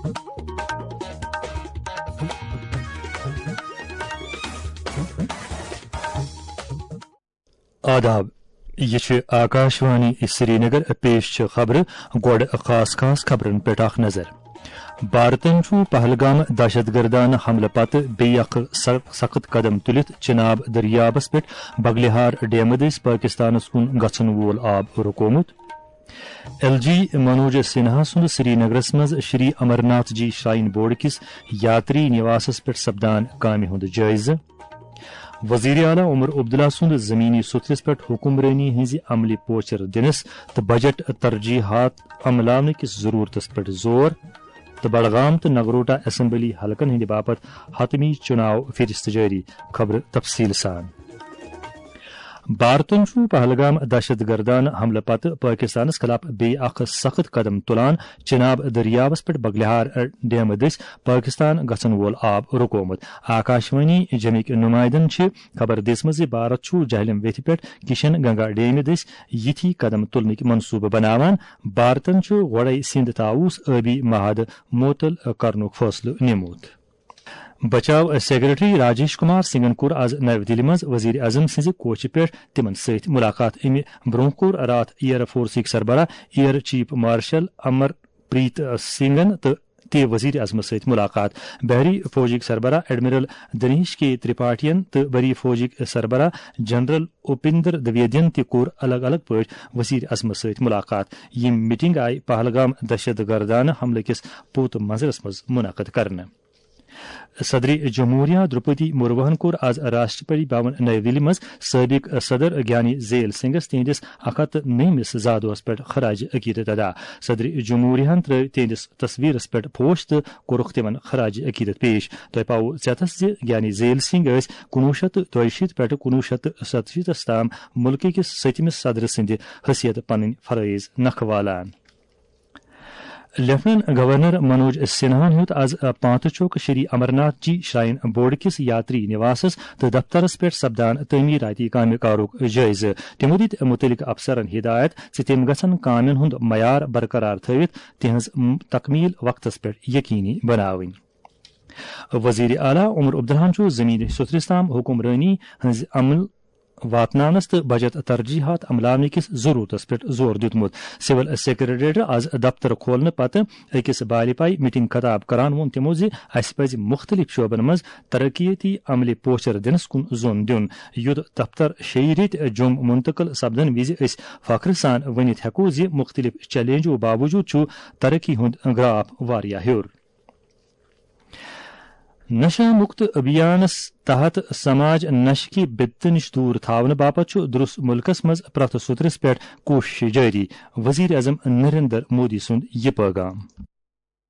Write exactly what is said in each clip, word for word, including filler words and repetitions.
آداب، یہِ چھِ آکاشوانی سرینگر۔ پیش چھِ خبرٕ۔ گۄڈٕ خاص خاص خبرن پٮ۪ٹھ اکھ نظر۔ بھارتن چھُ پہلگام دہشت گردانہٕ حملہٕ پتہٕ بیٚیہِ اکھ س-، سخت قدم تُلِتھ چناب دٔریابس پٮ۪ٹھ بگلہار ڈیمہٕ دٔسۍ پٲکستانس کُن گژھن وول آب رُکومُت۔ ایل جی منوج سنہا سُنٛد سرینگرس منٛز شری امرناتھ جی شراین بورڈ کِس یاتری نواسس پٮ۪ٹھ سپدان کامہِ ہُنٛد جٲیزٕ۔ وزیر اعلیٰ عمر عبداللہ سُنٛد زمینی سوٚتھرِس پٮ۪ٹھ حکمرٲنی ہٕنٛزِ عملہِ پوچر دِنس تہٕ بجٹ ترجیحات عملاونہٕ کِس ضرورتس پٮ۪ٹھ زور۔ تہٕ بڈگام تہٕ نگروٹا اسمبلی حلقن ہٕنٛدِ باپتھ حتمی چُناو فہرست جٲری۔ خبرٕ تفصیٖل سان۔ بھارتن چھُ پہلگام دہشت گردانہٕ حملہٕ پتہٕ پٲکستانس خلاف بیٚیہِ اکھ سخت قدم تُلان، چناب دٔریاوس پٮ۪ٹھ بگلہار ڈیمہٕ دٔسۍ پٲکستان گژھن وول آب رُکومُت۔ آکاشوانی جمِکۍ نُمایندن چھِ خبر دِژمٕژ زِ بھارت چھُ جہلم ویتھِ پٮ۪ٹھ کشن گنگا ڈیمہِ دٔسۍ یِتھی قدم تُلنٕکۍ منصوٗبہٕ بناوان۔ بھارتن چھُ گۄڈَے سِنٛد طاووس ٲبی معاہدٕ معطل کرنُک فٲصلہٕ نِمُت۔ بچاو سیکرٹری راجیش کمار سنگھن کوٚر آز نَوِ دِلہِ منٛز وزیر اعظم سٕنٛزِ کوچہِ پٮ۪ٹھ تِمن سۭتۍ مُلاقات۔ اَمہِ برٛونٛہہ کوٚر راتھ ایئر فورسٕکۍ سربراہ ایئر چیف مارشل امر پریت سنگھن تہٕ تہِ وزیر اعظمس سۭتۍ مُلاقات۔ بحری فوجٕکۍ سربراہ ایڈمرل دنیش کے ترپاٹھین تہٕ بری فوجٕکۍ سربراہ جنرل اپیندر دویدین تہِ کوٚر الگ الگ پٲٹھۍ وزیر اعظمس سۭتۍ مُلاقات۔ یِم میٹنگ آیہِ پہلگام دہشت گردانہٕ حملہٕ کِس پوت منظرس منٛز منعقد کرنہٕ۔ صدر جمہوریہ درپدی مرموہن کوٚر آز راشٹرپتی بھون نئی دِلہِ منٛز سٲبق صدر گیانی زیل سنگھس تِہنٛدِس اکھ ہتھ نٔیمِس زادوہس پٮ۪ٹھ خراج عقیدت ادا۔ صدر جمہوریہن ترٲوۍ تِہنٛدِس تصویرس پٮ۪ٹھ پوش تہٕ کوٚرُکھ تِمن خراج عقیدت پیش۔ تۄہہِ پاوو ژیتس زِ گیانی زیل سنگھ ٲسۍ کُنوُہ شیٚتھ تہٕ دۄیہِ شیٖتھ پٮ۪ٹھٕ کُنوُہ شیٚتھ تہٕ ستہٕ شیٖتس تام مُلکہٕ کِس سٔتمِس صدر سٕنٛدِ حیثیت پنٕنۍ فرٲیض نکھٕ والان۔ لیفٹیننٹ گورنر منوج سنہاہن ہیوٚت آز پانتھ چوک شری امرناتھ جی شراین بورڈ کِس یاتری نواسس تہٕ دفترس پٮ۪ٹھ سپدان تعمیراتی کامہِ کارُک جٲیزٕ۔ تِمو دِتۍ مُتعلقہٕ افسرن ہدایت زِ تِم گژھن کامٮ۪ن ہُنٛد معیار برقرار تھٲوِتھ تِہنٛز م-، تکمیل وقتس پٮ۪ٹھ یقینی بناوٕنۍ۔ وزیر اعلیٰ عمر عبداللہن چھُ زمینی سوٚتھرِس تام حکمرٲنی ہٕنٛز عمل واتناونس تہٕ بجٹ ترجیحات عملاونہٕ کِس ضرورتس پٮ۪ٹھ زور دیُتمُت۔ سول سیکرٹریٹ آز دفتر کھولنہٕ پتہٕ أکِس بالہِ پایہِ میٹنگ خطاب کران ووٚن تِمو زِ اسہِ پزِ مُختٔلِف شعبن منٛز ترقیتی عملہِ پوچھر دِنس کُن زوٚن دیُن، یُتھ دفتر شیٚیہِ ریٚتۍ جوٚم منتقل سپدن وِزِ أسۍ فخرٕ سان ؤنِتھ ہٮ۪کو زِ مُختٔلِف چیلنجو باوجود چھُ ترقی ہُنٛد گراف واریاہ ہیوٚر۔ نشہ مکت ابھیانس تحت سماج نشہ کہِ بدتہٕ نِش دوٗر تھاونہٕ باپتھ چھُ درست مُلکس منٛز پرٛٮ۪تھ سوٚترِس پٮ۪ٹھ کوٗشش جٲری۔ وزیر اعظم نریندر مودی سُنٛد یہِ پٲغام۔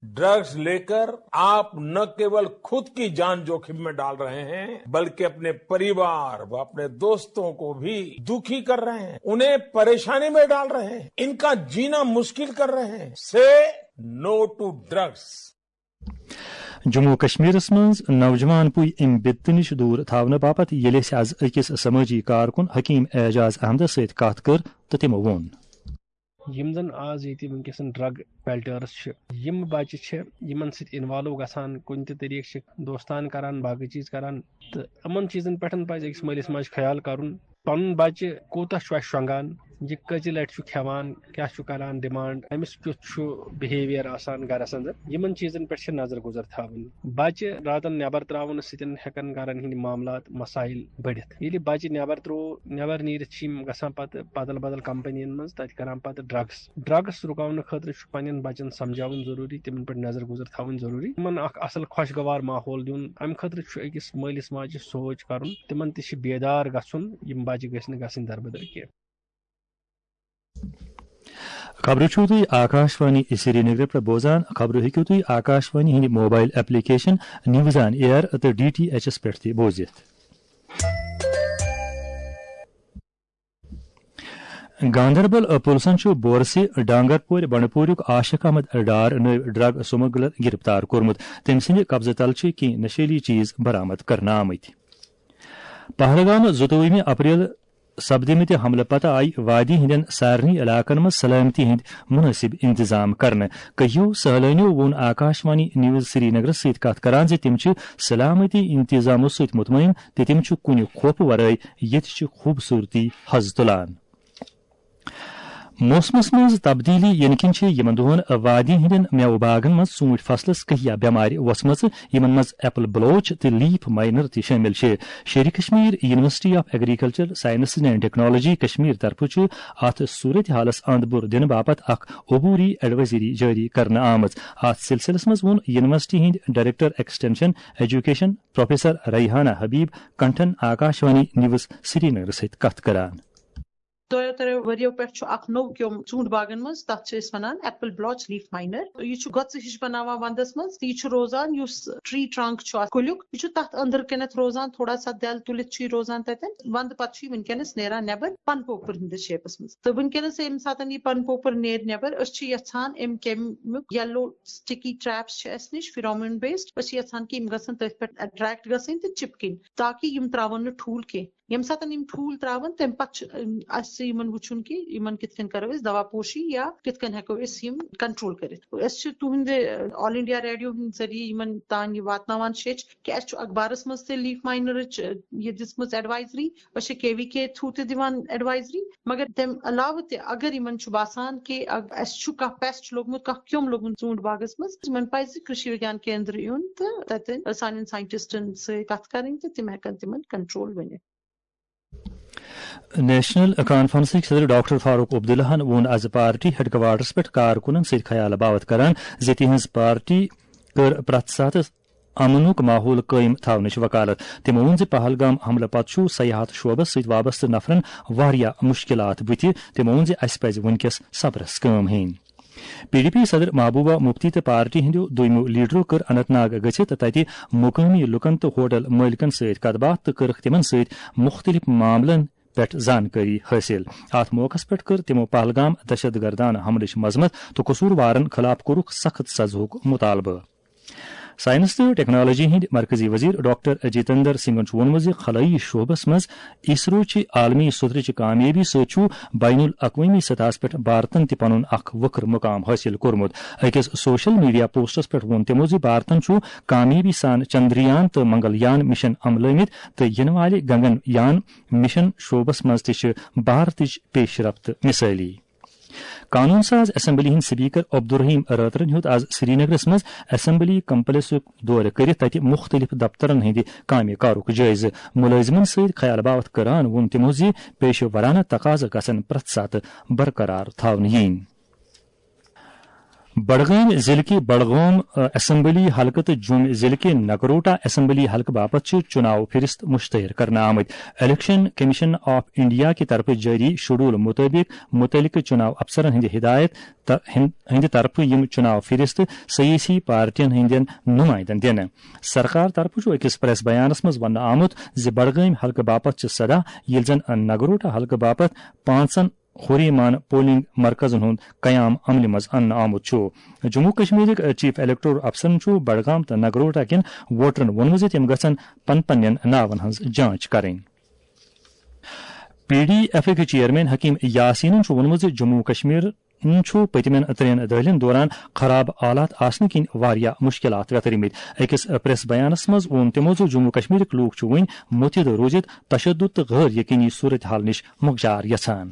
ड्रग्स लेकर आप न केवल खुद की जान जोखिम में डाल रहे हैं, बल्कि अपने परिवार व अपने दोस्तों को भी दुखी कर रहे हैं, उन्हें परेशानी में डाल रहे हैं, इनका जीना मुश्किल कर रहे हैं। से नो टू ड्रग्स। جموں و کشمیرس منٛز نوجوان پُے امہِ بدتہٕ نِش دوٗر تھاونہٕ باپتھ ییٚلہِ أسۍ از أکِس سمٲجی کارکُن حکیم اعجاز احمدس سۭتۍ کتھ کٔر تہٕ تِمو ووٚن۔ یِم زن آز ییٚتہِ وٕنکیٚسن ڈرگ پیلٹرس چھِ، یِم بچہِ چھِ یِمن سۭتۍ انوالو گژھان، کُنہِ تہِ طریقہٕ چھِ دوستان کران، باقٕے چیٖز کران، تہٕ یِمن چیٖزن پٮ۪ٹھ پزِ أکِس مٲلِس ماجہِ خیال کرُن۔ پنُن بچہِ کوٗتاہ چھُ اَسہِ شۄنٛگان، یہِ کٔژِ لٹہِ چھُ کھٮ۪وان، کیٛاہ چھُ کران ڈیمانڈ، أمِس کیُتھ چھُ بِہیویئر آسان گرس اندر، یِمن چیٖزن پٮ۪ٹھ چھِ نظر گُزر تھاوٕنۍ۔ بچہِ راتن نٮ۪بر تراونہٕ سۭتۍ ہٮ۪کن گرن ہٕنٛدۍ معاملات، مسایل بٔڑِتھ۔ ییٚلہِ بچہِ نٮ۪بر ترٛوو، نٮ۪بر نیٖرِتھ چھِ یِم گژھان پتہٕ بدل بدل کمپنین منٛز، تتہِ کران پتہٕ ڈرگس۔ ڈرگس رُکاونہٕ خٲطرٕ چھُ پننٮ۪ن بچن سمجھاوُن ضروٗری، تِمن پٮ۪ٹھ نظر گُزر تھاوٕنۍ ضروٗری، تِمن اکھ اصل خۄشگوار ماحول دیُن۔ امہِ خٲطرٕ چھُ أکِس مٲلِس ماجہِ سونچ کرُن، تِمن تہِ چھِ بیدار گژھُن، یِم بچہِ گٔژھۍ نہٕ گژھٕنۍ دربدر کینٛہہ۔ خبرٕ چھِو تُہۍ آکاشوانی سرینگرٕ پٮ۪ٹھ بوزان۔ خبرٕ ہیٚکِو تُہۍ آکاشوانی ہٕنٛدِ mobile application news on air تہٕ ڈی ٹی ایچ ایس پٮ۪ٹھ تہِ بوٗزِتھ۔ گاندربل پُلسن چھُ بورسہِ ڈانگرپورِ بنڈپوریُک عاشق احمد ڈار نٲوۍ ڈرگ سمگلر گرفتار کوٚرمُت۔ تٔمۍ سٕنٛدِ قبضہٕ تل چھِ کینٛہہ نشیلی چیز برآمد کرنہٕ آمٕتۍ۔ پہلگام زٕتووُہمہِ اپریل سپدمٕتہِ حملہٕ پتہٕ آیہِ وادی ہٕنٛدٮ۪ن سارنٕے علاقن منٛز سلامتی ہٕنٛدۍ مُنٲسِب انتظام کرنہٕ۔ کٔہیو سٲلٲنیو ووٚن آکاشوانی نیوز سری نگرس سۭتۍ کتھ کران زِ تِم چھِ سلامتی انتظامو سۭتۍ مطمئن تہٕ تِم چھِ کُنہِ خوفہٕ ورٲے ییٚتہِ چہِ خوٗبصوٗرتی حض تُلان۔ موسمس منٛز تبدیلی یِنہٕ کِنۍ چھِ یِمن دۄہن وادی ہٕنٛدٮ۪ن مٮ۪وٕ باغن منٛز ژوٗنٛٹھۍ فصلس کہیا بٮ۪مارِ وۄژھمژٕ، یِمن منٛز ایپل بلوچ تہٕ لیف ماینر تہِ شٲمِل چھِ۔ Sher-i Kashmir university of agriculture sciences and technology Kashmir طرفہٕ چھُ اتھ صورت حالس اند بُر دِنہٕ باپتھ اکھ عبوری ایڈوائزری جٲری کرنہٕ آمٕژ۔ اتھ سلسلس منٛز ووٚن یونیورسٹی ہٕنٛدۍ director extension education professor Rehana Habib کنٹھن آکاشوانی نیوز سری نگر سۭتۍ کتھ کران۔ دۄیو ترٛیو ؤرِیو پٮ۪ٹھ چھُ اکھ نوٚو کیوٚم ژوٗنٛٹھۍ باغن منٛز، تَتھ چھِ أسۍ وَنان ایپل بلوچ لیف ماینر۔ یہِ چھُ گۄژٕ ہِش بَناوان وَندَس منٛز۔ یہِ چھُ روزان، یُس ٹری ٹرنک چھُ اَتھ کُلیُک، یہِ چھُ تَتھ أنٛدٕر کَنٮ۪تھ روزان، تھوڑا سا دٮ۪ل تُلِتھ چھُ یہِ روزان تَتٮ۪ن۔ وَندٕ پَتہٕ چھُ یہِ وٕنکیٚنَس نیران نٮ۪بر پَنہٕ پوپُر ہِنٛدِس شیپَس منٛز۔ تہٕ وٕنکیٚنَس ییٚمہِ ساتَن یہِ پَنہٕ پوپُر نیرِ نٮ۪بر، أسۍ چھِ یَژھان اَمہِ کیٚمیُک یَلو سٹِکی ٹریپس چھِ اَسہِ نِش، فیرومون بیسڈ۔ أسۍ چھِ یَژھان کہِ یِم گژھن تٔتھۍ پٮ۪ٹھ اٹریکٹ گژھٕنۍ تہٕ چِپکٕنۍ، تاکہِ یِم ترٛاوَن نہٕ ٹھوٗل کینٛہہ۔ ییٚمہِ ساتَن یِم ٹھوٗل ترٛاوَن، تَمہِ پَتہٕ چھُ، اَم، اَسہِ یِمَن وٕچھُن کہِ یِمَن کِتھ کٔنۍ کَرو أسۍ دوا پوشی یا کِتھ کٔنۍ ہٮ۪کو أسۍ یِم کنٹرول کٔرِتھ۔ أسۍ چھِ تُہٕنٛدِ، آل انڈیا ریڈیو ہٕنٛدِ ذٔریعہٕ یِمَن تام یہِ واتناوان شیٚچھ کہِ اَسہِ چھُ اخبارَس منٛز تہِ لیف ماینرٕچ، یہِ دِژمٕژ ایڈوائزری۔ أسۍ چھِ کے وی کے تھرو تہِ دِوان ایڈوائزری، مگر تَمہِ علاوٕ تہِ اگر یِمَن چھُ باسان کہِ اگ-، اَسہِ چھُ کانٛہہ پیسٹ لوٚگمُت، کانٛہہ کیوٚم لوٚگمُت ژوٗنٛٹھۍ باغَس منٛز، یِمَن پَزِ کرشی وگیان کیندر یُن تہٕ تَتٮ۪ن سانٮ۪ن ساینٹسٹن سۭتۍ کَتھ کَرٕنۍ تہٕ تِم ہٮ۪کَن تِمَن کنٹرول ؤنِتھ۔ نیشنل کانفرنسٕکۍ صدر ڈاکٹر فاروق عبداللہَن ووٚن آز پارٹی ہیڈ کوارٹرس پٮ۪ٹھ کارکُنن سۭتۍ خیال باوتھ کران زِ تِہنٛز پارٹی کٔر پرٛٮ۪تھ ساتہٕ امنُک ماحول قٲیِم تھاونٕچ وکالت۔ تِمو ووٚن زِ پہلگام حملہٕ پتہٕ چھُ سیاحت شعبس سۭتۍ وابستہٕ نفرن واریاہ مشکلات بُتھِ۔ تِمو ووٚن زِ اسہِ پزِ وُنکیٚس صبرس کٲم ہیٚنۍ۔ پی ڈی پی صدر محبوبہ مفتی تہٕ پارٹی ہٕنٛدیو دویمو لیڈرو کٔر اننت ناگ گٔژھِتھ تَتہِ مقٲمی لوٗکَن تہٕ ہوٹل مٲلکَن سۭتۍ کَتھ باتھ تہٕ کٔرٕکھ تِمَن سۭتۍ مُختٔلِف معاملَن پٮ۪ٹھ زانکٲری حٲصِل۔ اَتھ موقعَس پٮ۪ٹھ کٔر تِمَو پہلگام دہشت گردانہٕ حملٕچ مذمت تہٕ قصوٗروارَن خٕلاف کوٚرُکھ سخت سزہُک مُطالبہٕ۔ ساینس تہٕ ٹیکنالوجی ہٕنٛدۍ مرکزی وزیر ڈاکٹر جتیندر سنگھن چھُ ووٚنمُت زِ خلٲیی شعبس منٛز اسرو چہِ عالمی سطرٕچہِ کامیٲبی سۭتۍ چھُ بین الاقوٲمی سطحس پٮ۪ٹھ بھارتن تہِ پنُن اکھ وٕکھر مقام حٲصِل کوٚرمُت۔ أکِس سوشل میڈیا پوسٹس پٮ۪ٹھ ووٚن تِمو زِ بھارتن چھُ کامیٲبی سان چندریان تہٕ منگل یان مشن عملٲومٕتۍ تہٕ یِنہٕ والہِ گگن یان مشن شعبس منٛز تہِ چھِ بھارتٕچ پیش رفت مثٲلی۔ قانون ساز اسمبلی ہٕنٛدۍ سپیکر عبدالرحیم رٲترَن ہیوٚت آز سرینگرس منٛز اسمبلی کمپلیکسُک دورٕ کٔرِتھ تَتہِ مُختٔلِف دفترن ہٕنٛدِ کامہِ کارُک جٲیزٕ۔ مُلٲزمن سۭتۍ خیال باوتھ کران ووٚن تِمو زِ پیشہٕ ورانہٕ تقاضہٕ گژھن پرٛٮ۪تھ ساتہٕ برقرار تھاونہٕ یِنۍ۔ بڈگام ضلعہٕ کہِ بڈگام، ا، اسمبلی حلقہٕ تہٕ جوٚم ضلعہٕ کہِ نگروٹا اسمبلی حلقہٕ باپتھ چھِ چُناو فہرست مشتہر کرنہٕ آمٕتۍ۔ الیکشن کمیشن آف انڈیا کہِ طرفہٕ جٲری شیڈول مُطٲبِق مُتعلقہٕ چُناو افسرن ہٕنٛدِ ہدایت تہٕ ہن-، ہٕنٛدِ طرفہٕ یِم چُناو فہرست سیٲسی پارٹین ہٕنٛدٮ۪ن نُمایندن دِنہٕ۔ سرکار طرفہٕ چھُ أکِس پریس بیانس منٛز وننہٕ آمُت زِ بڈگٲمۍ حلقہٕ باپتھ چھِ سداہ، ییٚلہِ زن نگروٹا حلقہٕ باپتھ پانٛژن ہوریمان پولنگ مرکزن ہُنٛد قیام عملہِ منٛز اننہٕ آمُت چھُ۔ جموں کشمیرٕکۍ چیف الیکٹورل افسرن چھُ بڈگام تہٕ نگروٹا کٮ۪ن ووٹرن ووٚنمُت زِ تِم گژھن پن پننٮ۪ن ناون ہٕنٛز جانچ کرٕنۍ۔ پی ڈی ایفٕکۍ چیئرمین حکیم یاسینن چھُ ووٚنمُت زِ جموں کشمیر چھُ پٔتمٮ۪ن ترٛٮ۪ن دٔہلٮ۪ن دوران خراب حالات آسنہٕ کِنۍ واریاہ مُشکِلات وٮ۪تھرمٕتۍ۔ أکِس پریس بیانَس منٛز ووٚن تِمَو زِ جموں کشمیرٕکۍ لوٗکھ چھِ وۄنۍ مُتحد روٗزِتھ تشدد تہٕ غٲر یقینی صورتحال نِش مۄکجار یژھان۔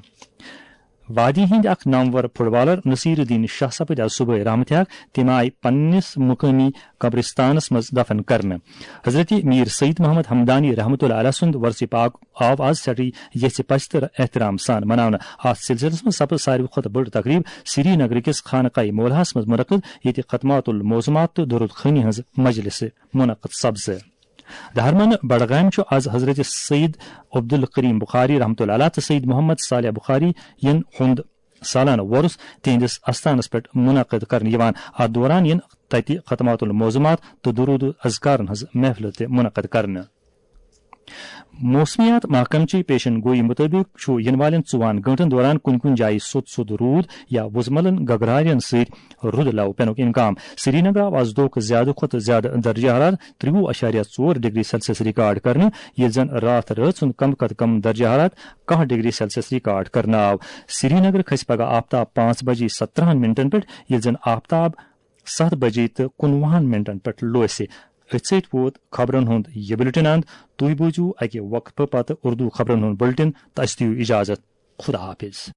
وادی ہٕنٛدۍ اکھ نامور فٹ بالر نصیر الدین شاہ سپٕدۍ آز صبحٲے رحمتِ حق۔ تِم آیہِ پننِس مقٲمی قبرستانَس منٛز دفن کرنہٕ۔ حضرت میر سید محمد حمدانی رحمتہ اللہ علیہ سُنٛد ورثِ پاک آو آز سٮ۪ٹھٕے یژھِ پژھِ تہٕ احترام سان مناونہٕ۔ اَتھ سلسلس منٛز سپٕز ساروی کھۄتہٕ بٔڑ تقریب سری نگر کِس خانقاہ مولاہس منٛز منعقد، ییٚتہِ ختمات المعظمات تہٕ درود خوانی ہٕنٛز مجلس منعقد سپز۔ دہرمن بڈگام چھُ آز حضرت سید عبدالکریم بخاری رحمتہ اللہ علیہ تہٕ سید محمد صالح بخاری ین ہُنٛد سالانہٕ وۄرُس تِہنٛدِس استانس پٮ۪ٹھ منعقد کرنہٕ یِوان۔ اتھ دوران یِن تتہِ ختمات المعظمات تہٕ درود و اذکارن ہٕنٛز محفلہٕ تہِ منعقد کرنہٕ۔ موسمیات محکمہٕ چہِ پیشن گوئی مُطٲبِق چھُ یِنہٕ والٮ۪ن ژوٚوُہن گٲنٛٹن دوران کُنہِ کُنہِ جایہِ سوٚت سوٚت روٗد یا وُزملن گگرارٮ۪ن سۭتۍ رُدٕ لو پینُک امکان۔ سری نگر آو از دۄہُک زیادٕ کھۄتہٕ زیادٕ درجہ حرارت ترٛوُہ اَشاریہ ژور ڈگری سیلسیس ریکارڈ کرنہٕ، ییٚلہِ زن راتھ رٲژ ہُنٛد کم کھۄتہٕ کم درجہ حرارت کاہ ڈگری سیلسیس ریکارڈ کرنہٕ آو۔ سری نگر کھسہِ پگہہ آفتاب پانٛژھ بجے سترہن منٹن پٮ۪ٹھ، ییٚلہِ زن آفتاب ستھ بجے تہٕ کُنوُہن منٹن پٮ۪ٹھ لوسہِ۔ أتھۍ سۭتۍ ووت خبرن ہُنٛد یہِ بُلٹن اند۔ تُہۍ بوٗزِو اکہِ وقفہٕ پتہٕ اردو خبرن ہُنٛد بُلٹن تہٕ اسہِ دِیِو اجازت۔ خدا حافظ۔